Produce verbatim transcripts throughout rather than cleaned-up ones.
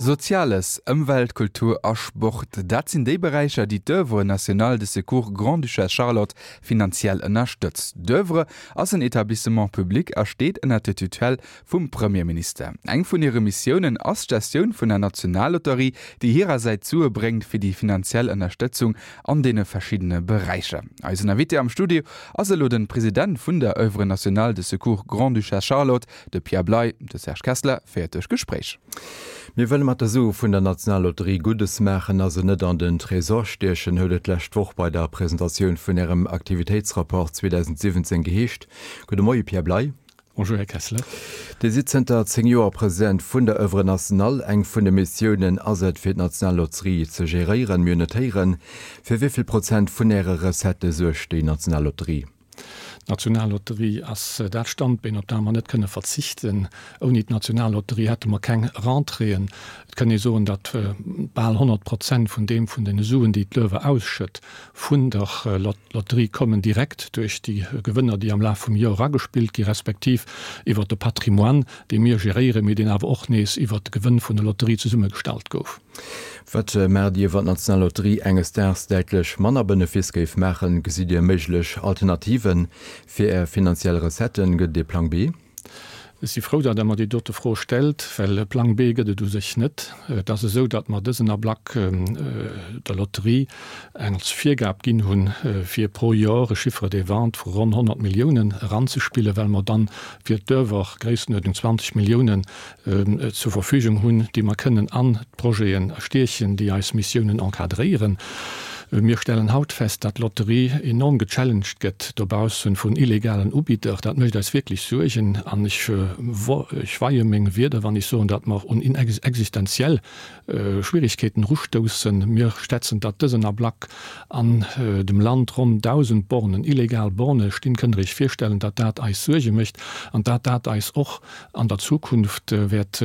Soziales, Ëmwelt, Kultur a Sport, dat sinn déi Beräicher, déi d'Oeuvre nationale de secours Grande-Duchesse Charlotte finanziell ënnerstëtzt. D'Oeuvre ass en Etablissement public a steet ënnert der Tutelle vum Premierminister. Eng vun hire Missiounen ass d'Gestioun vun der Nationallotterie, déi hirersäits Sue bréngt fir déi finanziell Ënnerstëtzung an deene verschiddene Beräicher. Eisen Invité am Studio ass elo de President vun der Oeuvre nationale de secours Grande-Duchesse Charlotte, de Pierre Bley. De Serge Kessler féiert duerch d'Gespréich. Mir wëlle mat de Sue vun der Nationallotterie Guddes maachen a se net an den Tresor stiechen, huet et d'lescht Woch bei der Presentatioun vun Ärem Aktivitéitsrapport zweedausendsiwwenzéng geheescht. Gudde Moie Pierre Bley. Bonjour Här Kessler. Dir sidd zënter zéng Joer President vun der Oeuvre Nationale. Eng vun de Missiounen ass et, fir d'Nationallotterie ze geréieren. Mir hunn et héieren. Fir wéi vill Prozent vun Äre Recettë suergt déi Nationallotterie? D'Nationallotterie ass dat Standbeen, op dat mer net kënne verzichten. Ouni d'Nationallotterie hätte mer keng Rentréeën. Et kënn ee soen, datt bal honnert Prozent vun deem, vun deene Suen, déi d'Löwe ausschëtt, vun der Lotterie kommen, direkt duerch déi Gewënner, déi am Laf vum Joer eragespillt gi respektiv iwwert de Patrimoine, dee mir geréieren, mee deen awer och nees iwwert de Gewënn vun der Lotterie zesummegestallt gouf. Wat maacht Dir, wann d'Nationallotterie enges Daags däitlech manner Benefice géif maachen? Gesitt Dir méiglech Alternativen fir Är finanziell Recetten? Gëtt et ee Plang B? Ech si frou, datt Der mer déi dote Fro stellt, well e Plang B gëtt et u sech net. Et ass esou, datt mer dësen Ablack der Lotterie eng als Virgab ginn hunn, fir pro Jor e Chiffre de vente vu ronn honnert Milliounen eranzespillen, well mer dann fir d'Oeuvre Gréisstenuerdnung zwanzeg Milliounen zur Verfügung hunn, déi mer kënnen an d'Projeten stiechen, déi eis Missiounen encadréieren. Mir stellen haut fest, datt d'Lotterie enorm gechallenged gëtt dobaussen vun illegalen Ubidder. Dat mécht eis wierklech Suergen an ech ech weie meng Wierder, wann ech soen, datt mer un existenziell Schwierigkeeten erustoussen. Mir schätzen, datt dësen Ablack an dem Land ronn dausend Bornen, illegal Borne stinn. Kënnt Der Iech virstellen, datt dat eis Suerge mécht an datt dat eis och an der Zukunft wäert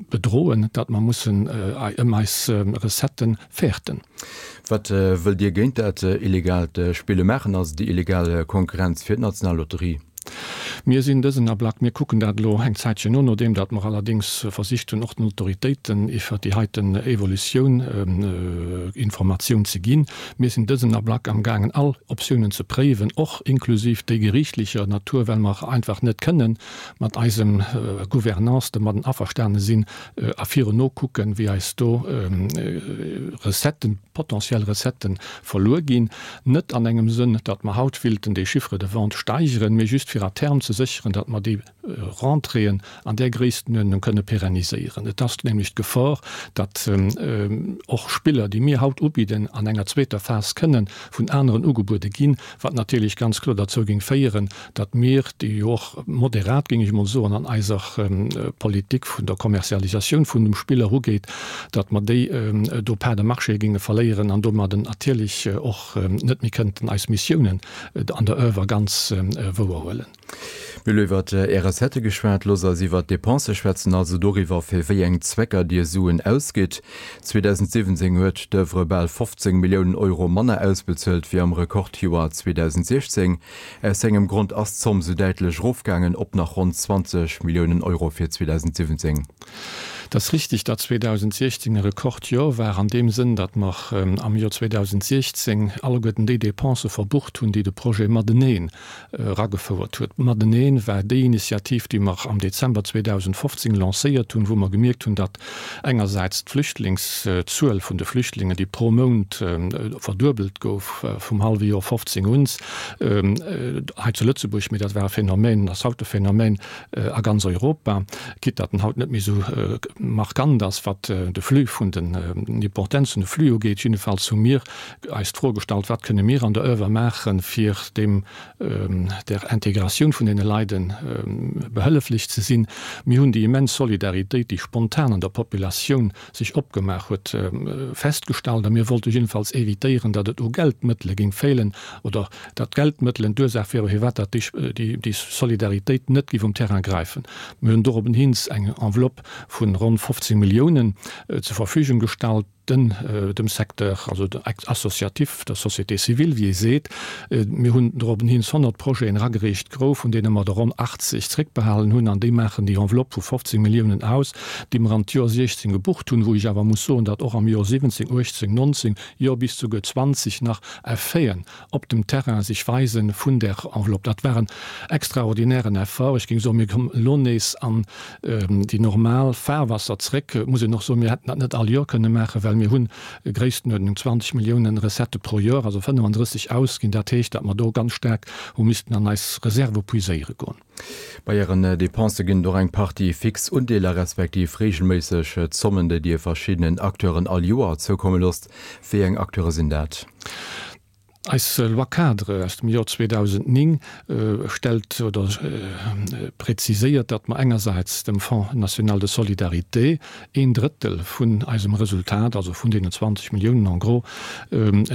bedroen, datt mer mussen ëm eis Recetten fäerten. Wat wëllt Dir géint dat illegaalt Spille maachen, also déi illegal Konkurrenz fir d'Nationallotterie? Mir sinn dësen Ablack, mir kucken dat elo eng Zäitchen no, nodeem datt mer allerdéngs versicht hunn, och den Autoritéiten iwwert déi heiten Evolutioun Informatioun ze ginn. Mir sinn dësen Ablack amgaangen, all Optiounen ze préiwen, och inklusiv déi geriichtlecher Natur, well mer einfach net kënnen mat eisem Gouvernance domadden averstane sinn a virun nokucken, wéi eis do Recetten, potentiell Recetten verluer ginn. Net an engem Sënn, datt mer haut willten dee Chiffre de vente steigeren, mee just fir à terme ze sécheren, datt mer déi Rentréeën an där Gréisstenuerdnung kënne pérenniséieren. Et ass nämlech d'Gefor, datt och Spiller, déi mir haut ubidden, an enger zweeter Phas kënne vun aneren ugebuede ginn, wat natierlech ganz kloer derzou géing féieren, datt mir, déi jo och moderat, géing ech emol soen, an eiser Politik vun der Kommerzialisatioun vun dem Spill erugeet, datt mer déi do Parts de marché géinge verléieren an domadden natierlech och net méi kënnten eis Missiounen an der Oeuvre ganz wouerhuelen. Mir hu iwwer Är Recettë geschwat. Loosst eis iwwer d'Dépensë schwätzen, also doriwwer, fir wéi eng Zwecker Dir Suen ausgitt. zweedausendsiwwenzéng huet d'Oeuvre bal fofzéng Milliounen Euro manner ausbezuelt wéi am Rekordjoer zweedausendsiechzéng. Aus engem Grond ass d'Zomm sou däitlech erofgaangen, op nach ronn zwanzeg Milliounen Euro fir zweedausendsiwwenzéng. Et ass richtig, datt zweedausendsiechzéng e Rekordjor war an deem Sënn, datt mer am Jor zweedausendsiechzéng alleguerten déi Dépensë verbucht hunn, déi de Projet Mateneen eragefouert huet. Mateneen war déi Initiativ, déi mer am Dezember zweedausendfofzéng lancéiert hunn, wou mer gemierkt hunn, datt engersäits d'Flüchtlingszuel vun de Flüchtlingen, déi pro Mount verduebelt gouf vum hallwe Jor fofzéng un, hei zu Lëtzebuerg, mee dat war e Phänomen, ass haut e Phänomen a ganz Europa, quitte datt en haut net méi esou markant ass, wat de Flux vun den, d'Importenz vun de Flux ugeet. Jiddefalls hu mir eis d'Fro gestallt, Wat kënne mir an der Oeuvre maachen, fir deem, der Integratioun vun deene Leide behëlleflech ze sinn? Mir hunn déi immens Solidaritéit, déi spontan an der Populatioun sech opgemaach huet, festgestallt a mir wollte jiddefalls évitéieren, datt et u Geldmëttele géing feelen oder datt d'Geldmëttelen d'Ursaach wieren, firwat datt déi Solidaritéit net géif um Terrain gräifen. Mir hunn dorobbenhins eng Enveloppe vu ronn fofzéng Milliounen zur Verfügung gestallt, den, dem Secteur, also associatif, der Société civile, wéi ee seet. Mir hunn dorobben hin honnert Projeten eragereecht groufen, vun deene mer der ronn achtzeg zréckbehalen hunn, an déi maachen déi Enveloppe vu fofzéng Milliounen aus, déi mer an d'Joer siechzéng gebucht hunn, wou ech awer muss soen, datt och am Joer siwwenzéng, uechtzéng, nonzéng, jo bis souguer zwanzeg nach Effeten op dem Terrain sech weisen vun där Enveloppe. Dat war en extraordinären Effort. Ech géing soen, mir kommen elo nees an déi normal Fahrwasser zréck. Et muss een och soen, mir hätten dat net all Joer kënne maachen, well mir hunn Gréisstenuerdnung zwanzeg Milliounen Recettë pro Joer, also fënnefandrësseg ausginn. Dat heescht, datt mer do ganz staark hu missten an eis Reserve puiséiere goen. Bei Ären Depensë ginn et och eng Partie fix Undeeler respektiv reegelméisseg Zommen, déi Dir verschiddenen Acteuren all Joer zoukomme loosst. Wéi eng Acteure sinn dat? Eis Loi-cadre aus dem Joer zweedausendnéng stellt oder präziséiert, datt mer engersäits dem Fonds national de solidarité een Drëttel vun eisem Resultat, also vun deenen zwanzeg Milliounen en gros,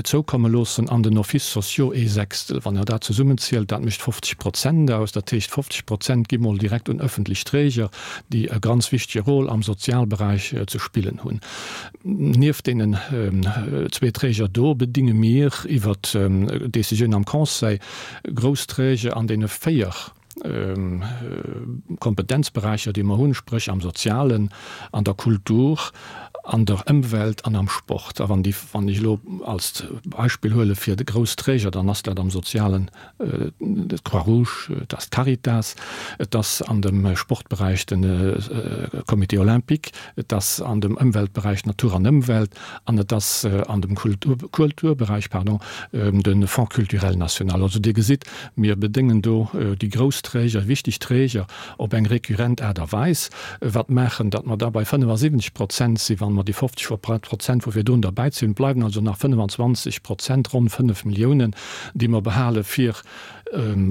zoukomme loossen an den Offices sociaux ee Sechstel. Wann Der dat zesummenzielt, dat mécht fofzeg Prozent aus. Dat heescht, fofzeg Prozent gi mol direkt un öffentlech Träger, déi e ganz wichtege Rôle am Sozialberäich ze spillen hunn. Nieft deenen zwee Träger do bedinge mir iwwer Décisioun am Conseil grouss Träger an deene véier Kompetenzberäicher, déi mer hunn, spréch am Sozialen, an der Kultur, an der Ëmwelt an am Sport. A wann déi, wann ech elo als Beispill huele fir de grouss Träger, dann ass dat am Sozialen d'Croix-Rouge, et ass d'Caritas, et ass an dem Sportberäich de Comité olympique, et ass an dem Ëmweltberäich Natur an Ëmwelt an et ass an dem Kulturberäich, pardon, de Fonds culturel national. Also Dir gesitt, mir bedéngen do déi grouss Träger, wichteg Träger op eng récurrent Aart a Weis, wat maachen, datt mer da bei fënnefasiwwenzeg Prozent sinn, wann mer déi fofzeg Prozent vu virdrun derbäizéien. Et bleiwen also nach fënnefenzwanzeg Prozent, ronn fënnef Milliounen, déi mer behale fir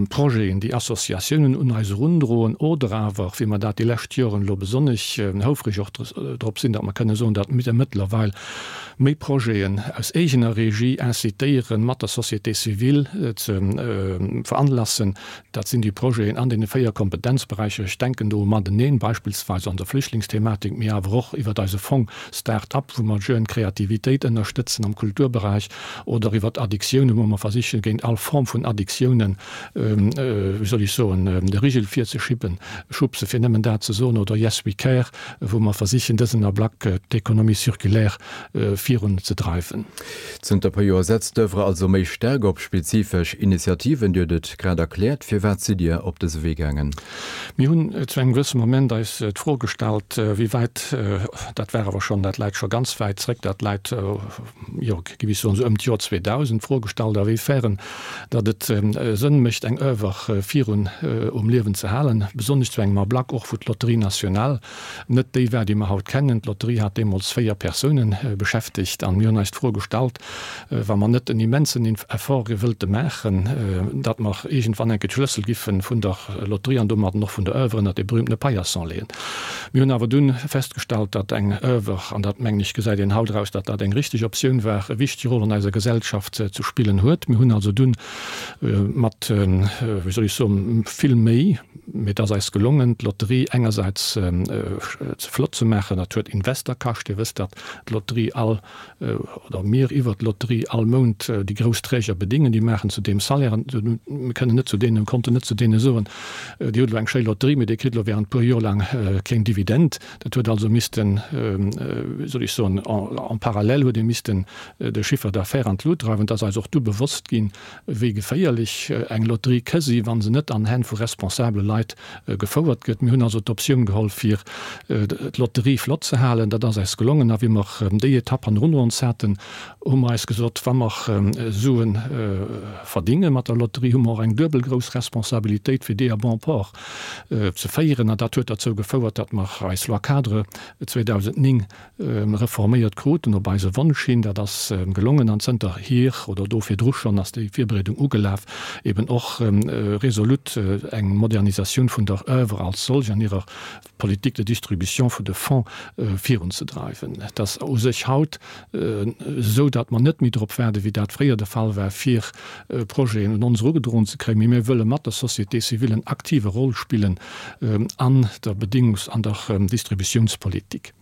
Projeten, déi Associatiounen un eis erundroen oder awer, wéi mer dat déi lescht Joren elo besonnesch houfreg och drop sinn, datt mer kënne soen, datt mir mëttlerweil méi Projeten aus eegener Regie incitéieren, mat der Société civile ze veranlassen. Dat sinn déi Projeten an deene véier Kompetenzberäicher. Ech denken do u Mateneen, beispillsweis an der Flüchtlingsthematik, mee awer och iwwert eise Fong Start-up, wou mer d'Jeune Kreativitéit ënnerstëtzen am Kulturberäich, oder iwwert Addiktiounen, wou mer versichen, géint all Form vun Addiktiounen, wéi soll ech soen, de Rigel virzeschippen, schubsen, fir nëmmen dat ze soen, oder Yes We Care, wou mer versichen, dësen Ablack d'Économie circulaire virun ze dreiwen. Zënter e puer Joer setzt d'Oeuvre also méi staark op spezifesch Initiativen. Dir hutt et grad erkläert. Firwat sidd Dir op dëse Wee gaangen? Mir hunn zu engem gewësse Moment eis d'Fro gestallt, wéi wäit, dat war awer schonn, dat läit scho ganz wäit zréck, dat läit, jo, géif ech soen, esou ëm d'Joer zweedausend, d'Fro gestallt, awéifern datt et Sënn mécht, eng Oeuvre virun um Liewen ze halen, besonnesch zu engem Ablack och, wou d'Lotterie nationale net déi war, déi mer haut kennen. D'Lotterie hat deemools véier Persounen beschäftegt an mir hunn eis d'Fro gestallt, wa mer net en immensen Effort wëllte maachen, datt mer iergendwann enke d'Schlëssel giffe vun der Lotterie an domadden och vun der Oeuvre ënnert dee berühmtene Paillasson leeën. Mir hunn awer dunn festgestallt, datt eng Oeuvre, an dat mengen ech gesäit een haut eraus, datt dat eng richteg Optioun war, e wichtege Rôle an eiser Gesellschaft ze spillen huet. Mir hunn also dunn mat, wéi soll ech soen, vill Méi, mee et ass eis gelongen, d'Lotterie engersäits ze flott ze maachen. Dat huet Invester kascht. Dir wësst, datt d'Lotterie all, oder mir iwwert d'Lotterie all Mount déi grouss Träger bedingen. Déi maachen zudeem Salairen. Mir kënnen net zu deenen, konnten net zu deene soen, Dir hutt elo eng schéi Lotterie, mee Dir kritt elo während e puer Joer laang keng Dividend. Dat huet also missten, wéi soll ech soen, en parallèle huet ee missten de Chiffre d'affaires an d'Lut dreiwen. Et ass eis och du bewosst ginn, wéi geféierlech eng Lotterie ka si, wa se net an Hänn vu responsabele Leit gefouert gëtt. Mir hunn also d'Optioun geholl, fir d'Lotterie flott ze halen. Dat ass eis gelongen. A wéi mer déi Etapp hannendrun ons haten, hu mer eis gesot, wa mer Sue verdinge mat der Lotterie, hu mer och eng duebel grouss Responsabilitéit, fir déi à bon port ze féieren. An dat huet derzou gefouert, datt mer eis Loi-cadre zweedausendnéng reforméiert kruten, op eise Wonsch hin. Dat ass gelongen an zënterhier, oder do virdru schonn, ass déi Virbereedung ugelaf, eben och resolut eng Modernisatioun vun der Oeuvre als solch an hirer Politique de distribution vun de Fonds virunzedreiwen. Et ass u sech haut esou, datt mer net méi drop waarden, wéi dat fréier de Fall war, fir Projeten un ons erugedroen ze kréien, mee mir wëlle mat der Société civile en aktive Rôle spillen an der Bedingungs an der Distributiounspolitik.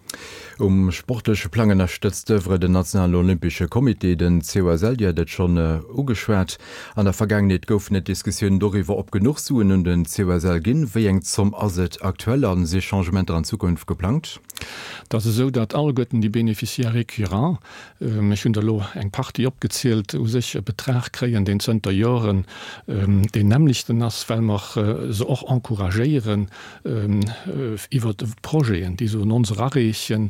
Um sportleche Plang ënnerstëtzt d'Oeuvre den Nationalen Olympesche Comité, den C O S L. Dir hat et schonn ugeschwat. An der Vergaangenheet goufen et Diskussiounen doriwwer, ob genuch Suen un den C O S L ginn. Wéi eng Zomm ass et aktuell a si Changementer an Zukunft geplangt? Et ass esou, datt alleguerten déi Bénéficiaires récurrents, ech hunn der elo eng Partie opgezielt, u sech e Betrag kréien, deen zënter Joren deen nämmlechten ass, well mer se och encouragéieren, iwwer Projeten, déi se un ons erareechen,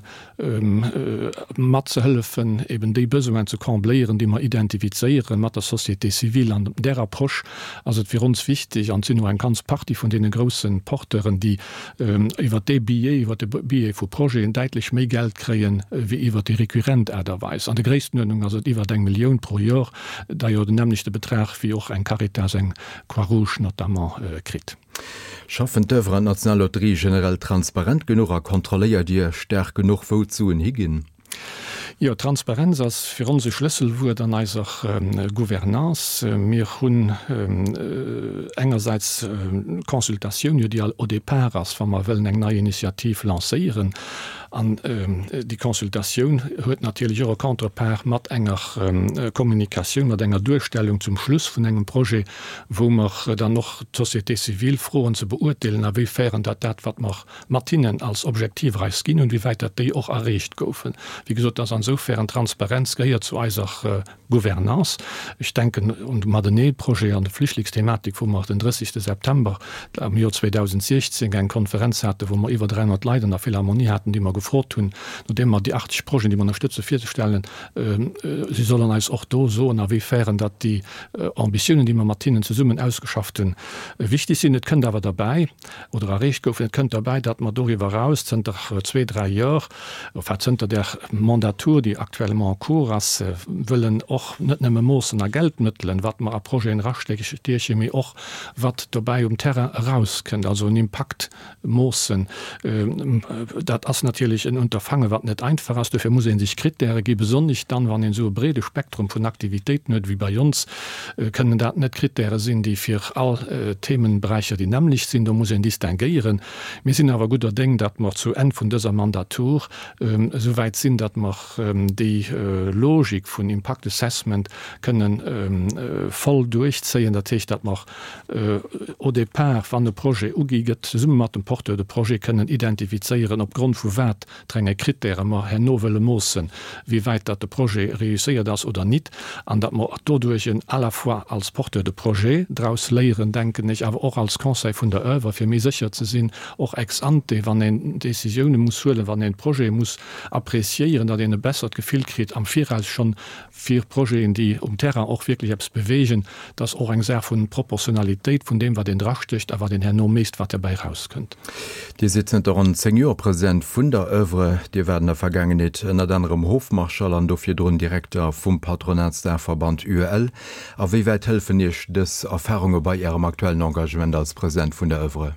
matzehëllefen, eben déi Besoinen ze combléieren, déi mer identifizéiere mat der Société civile. An där Approche ass et fir ons wichteg, an et sinn och eng ganz Partie vun deene grousse Porteuren, déi iwwer dee Biais, iwwer de Biais vu Projeten däitlech méi Geld kréien, wéi iwwer déi récurrent Aart a Weis. An der Gréisstenuerdnung ass et iwwer eng Millioun pro Jor, d'ailleurs den nämmlechte Betrag, wéi och eng Caritas, eng Croix-Rouge notamment kritt. Schaffen d'Oeuvre an d'National Lotterie generell transparent genuch a kontrolléiert Dir staark genuch, wou d'Suen higinn? Jo, Transparenz ass fir ons e Schlësselwuert an eiser Gouvernance. Mir hunn engersäits d'Consultatioun, jo, déi au départ ass, wa mer wëllen eng nei Initiativ lancéieren. An déi Consultatioun huet natierlech och e Contreparts mat enger Kommunikatioun, mat enger Duerstellung zum Schluss vun engem Projet, wou mer dann och d'Société civile froen ze beurteelen, awéifern dat dat, wat mer mat hinnen als Objektiver eis ginn hunn, wéi wäit dat déi och erreecht goufen. Wéi gesot, dass ansoufern Transparenz gehéiert zu eiser Gouvernance. Ech denken un de Matenee-Projet an de Flüchtlingsthematik, wou mer den drëssegste September am Joer zweedausendsechzéng eng Konferenz haten, wou mer iwwer dräihonnert Leit an der Philharmonie haten, déi mer gefrot hunn, nodeem mer déi achtzeg Projeten, déi mer ënnerstëtzen, virzestellen, si sollen eis och do soen, awéifern datt déi Ambitiounen, déi mer mat hinnen zesummen ausgeschafft hunn, wichteg sinn. Et kënnt awer derbäi, oder erreecht goufen, et kënnt derbäi, datt mer doriwwer eraus zënter zwee, dräi Jor, enfin zënter där Mandatur, déi actuellement en cours ass, wëllen och net nëmme moossen a Geldmëttelen, wat mer a Projeten erastiechen, mee och wat dobäi um Terrain erauskënnt, also en Impakt moossen. Dat ass natierlech en Unterfange wat net einfach ass. Dofir muss ee sech Krittäre gi, besonnesch dann, wann een esou e breede Spektrum vun Aktivitéiten huet wéi bei ons, kënnen dat net Krittäre sinn, déi fir all Themenberäicher déi nämmlecht sinn. Do muss een distinguéieren. Mir sinn awer gudder Déng, datt mer zu Enn vun dëser Mandatur esou wäit sinn, datt mer déi Logik vun Impact Assessment kënnen voll duerchzéien. Dat heescht, datt mer au départ, wann e Projet ugi gëtt, zesumme mat dem Porteur de projet kënnen identifizéieren, opgrond vu wat fir enge Krittäre mer herno wëlle moossen, wéi wäit datt de Projet réusséiert ass oder nit, an datt mer doduerch à la fois als Porteur de projet draus léieren, denken ech, awer och als Conseil vun der Oeuvre, fir méi sécher ze sinn, och ex ante, wann een Décisioune muss huelen, wann een Projete muss appréciéieren, datt een e bessert Gefill kritt am Viraus schonn fir Projeten, déi um Terrain och wierklech eppes beweegen. Dat ass och eng Saach vu Proportionalitéit vun deem, wat een drastécht a wat een herno mécht, wat derbäi erauskënnt. Dir sidd zënter ronn zéng Joer President vun der Oeuvre. Dir waart an der Vergaangenheet ënnert anerem Hofmarschall an do virdrun Direkter vum Patronatsdaachverband U E L. A wéi wäit hëllefen Iech dës Erfarunge bei Ärem aktuellen Engagement als President vun der Oeuvre?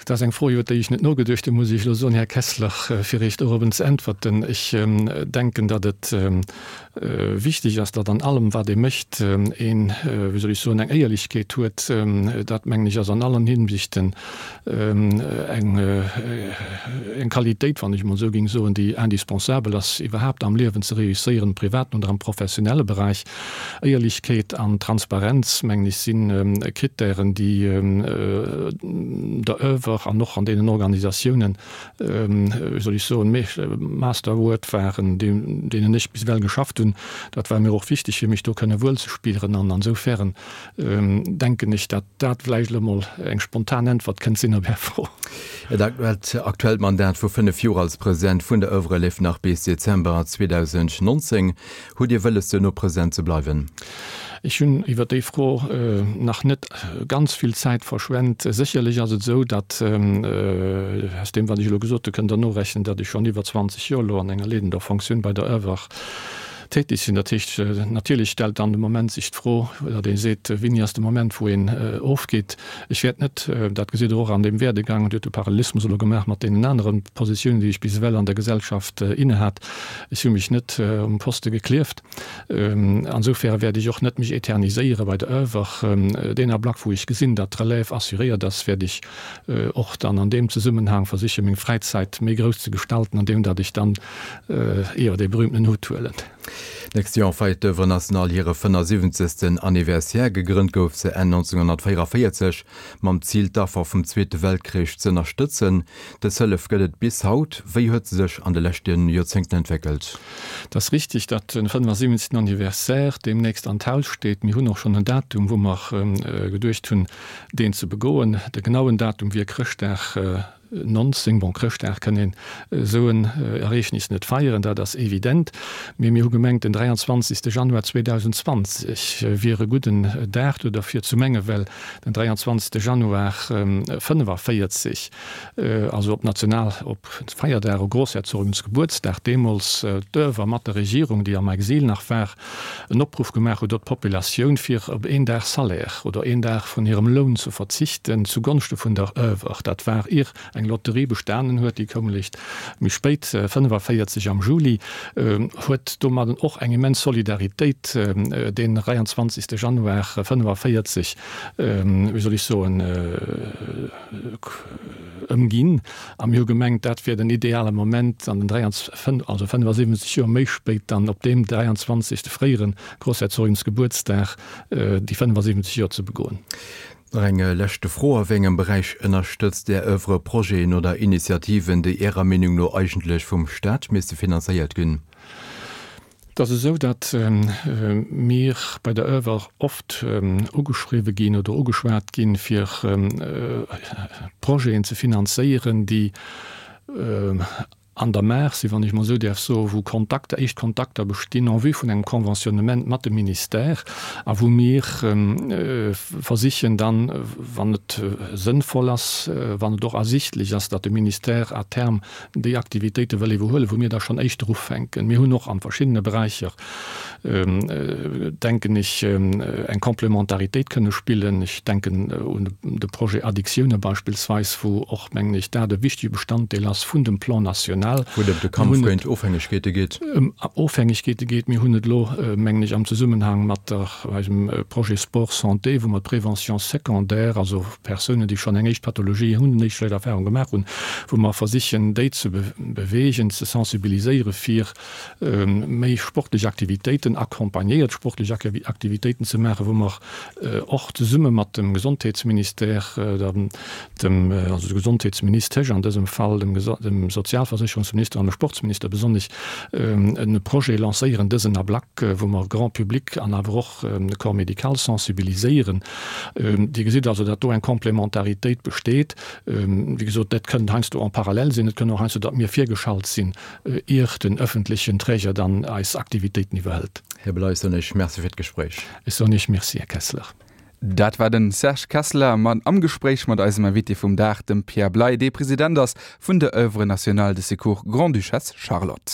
Dat ass eng Fro, iwwer déi ech net nogeduecht hunn, muss ech elo soen, Här Kessler, fir Iech dorobben ze äntwerten. Ech denken, datt et wichteg ass, datt an allem, wat ee mécht, een, wéi soll ech soen, eng Éierlechkeet huet. Dat, mengen ech, ass an allen Hinsichten eng, eng Qualitéit, wann ech emol esou géing soen, déi indispensabel ass, iwwerhaapt am Liewen ze réussieren, am privaten oder am professionelle Beräich. Éierlechkeet an Transparenz, mengen ech, si Krittären, déi der Oeuvre an och an deenen Organisatiounen, wéi soll ech soen, Masterword waren, deenen ech bis ewell geschafft hunn. Dat war mir och wichteg, fir mech do kënne wuelzespieren. An ansoufern denken ech, datt dat vläicht elo mol eng spontan Äntwert kënnt sinn op Är Fro. Äert aktuellt Mandat vu fënnef Joer als President vun der Oeuvre leeft nach bis Dezember zweedausendnonzéng. Hutt Dir wëlles, duerno President ze bleiwen? Ech hunn iwwer déi Fro nach net ganz vill Zäit verschwent. Sécherlech ass et esou, datt, aus deem wat ech elo gesot hu kënnt Der norechnen, datt ech schonn iwwer zwanzeg Joer elo an enger leedender Fonctioun bei der Oeuvre tätig sinn. Dat heescht, natierlech stellt dann de Moment sech d'Fro, datt ee seet, Wéini ass de Moment, wou een ofgeet? Ech wäert net, dat gesitt Der och an deem Werdegang, Dir hutt de Parallelismus elo gemaach mat deenen anere Positiounen, déi ech bis ewell an der Gesellschaft innehat, ech hu mech net um Poste geklieft. Insofern wäert ech och net mech eterniséiere bei der Oeuvre. Deen Ablack, wou ech gesinn, datt d'Relève assuréiert ass, wäert ech och dann an deem Zesummenhang versiche meng Fräizäit méi grouss ze gestalten, andeem datt ech dann, jo, dee berühmten Hutt huelen. D'nächst Joer feiert d'Oeuvre Nationale hire fënnesiwwenzegsten Anniversaire. Gegrënnt gouf se Enn nonzénghonnertvéierunvéierzeg mam Zil, d'Affer vum Zweete Weltkrich z'ënnerstëtzen. Dës Hëllef gëtt et bis haut. Wéi huet se sech an de leschte Joerzéngten entwéckelt? Et ass richteg, datt de fënnesiwwenzegsten Anniversaire deemnächst an d'Haus steet. Mir hunn och schonn en Datum, wou mer geduecht hunn, deen ze begoen. De genauen Datum wier Chrëschtdag nonzéng. Bon, Chrëschtdag kënn een esou en Ereegnis net feieren, dat ass evident, mee mir hu gemengt, den dräianzwanzegste Januar zweedausendszwanzeg wier e gudden Dag do derfir ze mengen, well den dräianzwanzegste Januar fënnefaféierzeg, also op National-, op Feierdag, op Grossherzogensgebuertsdag, deemools d'Oeuvre mat der Regierung, déi am Exil nach war, en Opruff gemaach huet op d'Populatioun, fir op een Dag Salaire oder een Dag vun hirem Loun ze verzichten zugonschte vun der Oeuvre. Dat war ier eng Lotterie bestanen huet, déi koum eréischt méi spéit, fënnefaféierzeg am Juli, huet domadden och eng immens Solidaritéit deen dräianzwanzegste Januar fënnefaféierzeg, wéi soll ech soen, ëmginn. A mir hu gemengt, dat wier den ideale Moment, an den dräianzw-, also fënnefasiwwenzeg Joer méi spéit dann op deem dräianzwanzegste fréiere Grossherzogensgebuertsdag déi fënnefasiwwenzeg Joer ze begoen. Nach eng leschte Fro, A wéi engem Beräich ënnerstëtzt Är Oeuvre Projeten oder Initiativen, déi Ärer Meenung no eigentlech vum Staat misste finanzéiert ginn? Et ass esou, datt mir bei der Oeuvre oft ugeschriwwe ginn oder ugeschwat ginn, fir Projeten ze finanzéieren, déi an der Maach sinn, wann ech mol esou däerf soen, wou Kontakter, éischt Kontakter bestinn en vue vun engem Conventionnement mat dem Ministère a wou mir versichen dann, wann et sënnvoll ass, wann et och ersichtlech ass, datt de Ministère à terme déi Aktivitéite wëll iwwerhuelen, wou mir da schonn éischter ufänken. Mir hunn och a verschiddene Beräicher, denken ech, eng Complémentaritéit kënne spillen. Ech denken un de Projet Addictioune beispillsweis, wou och, mengen ech, dat e wichtege Bestanddeel ass vun dem Plan national. Wou et ëm de Kampf géint Ofhängegkeete geet. Ëm Ofhängegkeete geet. Mir hunn et elo, mengen ech, am Zesummenhang mat der, eisem Projet Sport santé, wou mer d'Prévention secondaire, also Persounen, déi schonn eng éischt Pathologie hunn, eng éischt schlecht Erfahrung gemaach hunn, wou mer versichen, déi ze beweegen, ze sensibiliséieren, fir méi sportlech Aktivitéiten, accompagnéiert sportlech Aktivitéiten ze maachen, wou mer och zesumme mat dem Gesondheetsministère, dem, also der Gesondheetsministesch an dësem Fall, dem Sozialversécherungsminister an dem Sportsminister besonnesch, e Projet lancéieren dësen Ablack, wou mer Grand public an awer och de Corps médical sensibiliséieren. Dir gesitt also, datt do eng Complémentaritéit besteet. Wéi gesot, dat kënnt heiansdo en parallèle sinn, et kënnt och heiansdo, datt mir virgeschalt sinn, ier den öffentlechen Träger dann eis Aktivitéiten iwwerhëlt. Här Bley, soen ech Merci fir d'Gespréich. Ech soen Iech Merci, Här Kessler. Dat war den Serge Kessler mat am Gespréich mat eisem Invité vum Dag, dem Pierre Bley, dee President ass vun der Oeuvre nationale de secours Grande-Duchesse Charlotte.